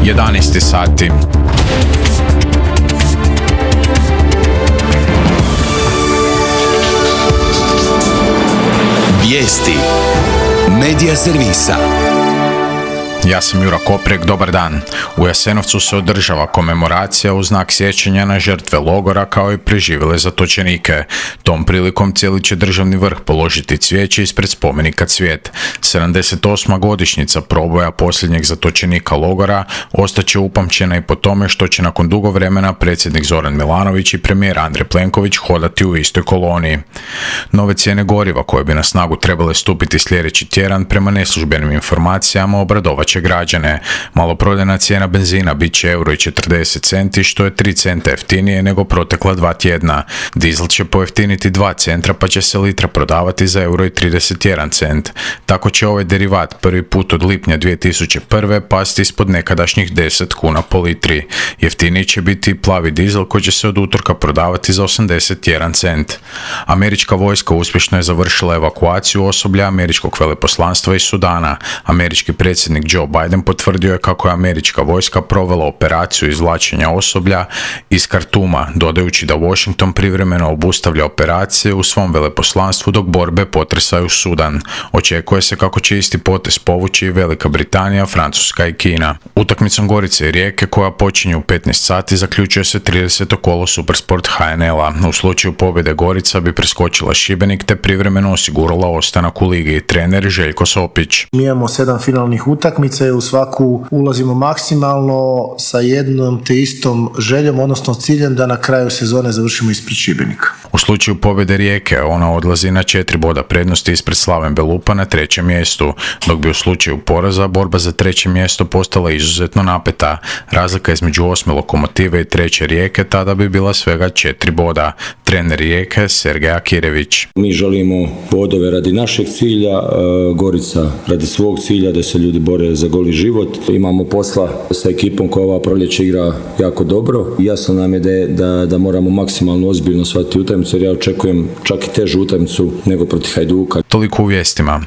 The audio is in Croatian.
11 sati. Vijesti Medija servisa. Ja sam Jura Koprek, dobar dan. U Jasenovcu se održava komemoracija u znak sjećanja na žrtve logora kao i preživjele zatočenike. Tom prilikom cijeli će državni vrh položiti cvijeće ispred spomenika Cvijet. 78. godišnjica proboja posljednjeg zatočenika logora ostaće upamćena i po tome što će nakon dugo vremena predsjednik Zoran Milanović i premijer Andrej Plenković hodati u istoj koloniji. Nove cijene goriva koje bi na snagu trebale stupiti sljedeći tjedan prema neslužbenim informacijama obradovat će građane. Maloprodajna cijena benzina bit će €1,40, što je 3 centa jeftinije nego protekla 2 tjedna. Dizel će pojeftiniti 2 centra pa će se litra prodavati za €1,31. Tako će ovaj derivat prvi put od lipnja 2001. pasti ispod nekadašnjih 10 kuna po litri. Jeftiniji će biti plavi dizel koji će se od utorka prodavati za 81 cent. Američka vojska uspješno je završila evakuaciju osoblja američkog veleposlanstva iz Sudana. Američki predsjednik Joe Biden potvrdio je kako je američka vojska provela operaciju izvlačenja osoblja iz Kartuma, dodajući da Washington privremeno obustavlja operacije u svom veleposlanstvu dok borbe potresaju Sudan. Očekuje se kako će isti potez povući i Velika Britanija, Francuska i Kina. Utakmicom Gorice i Rijeke koja počinje u 15 sati zaključuje se 30. kolo Supersport HNL-a. U slučaju pobjede Gorica bi preskočila Šibenik te privremeno osigurala ostanak u ligi. Trener Željko Sopić. Mi imamo 7 finalnih utakmica i u svaku ulazimo maksimalno sa jednom te istom željom, odnosno ciljem da na kraju sezone završimo ispred Šibenika. U slučaju pobjede Rijeke ona odlazi na 4 boda prednosti ispred Slaven Belupa na 3. mjestu, dok bi u slučaju poraza borba za 3. mjesto postala izuzetno napeta. Razlika između 8. Lokomotive i 3. Rijeke tada bi bila svega 4 boda. Trener Rijeke Sergej Akirević. Mi želimo bodove radi našeg cilja, Gorica radi svog cilja, da se ljudi bore za goli život. Imamo posla sa ekipom koja ova proljeće igra jako dobro. Jasno nam je da moramo maksimalno ozbiljno shvatiti utakmicu, jer ja očekujem čak i težu utakmicu nego protiv Hajduka. Toliko u vijestima.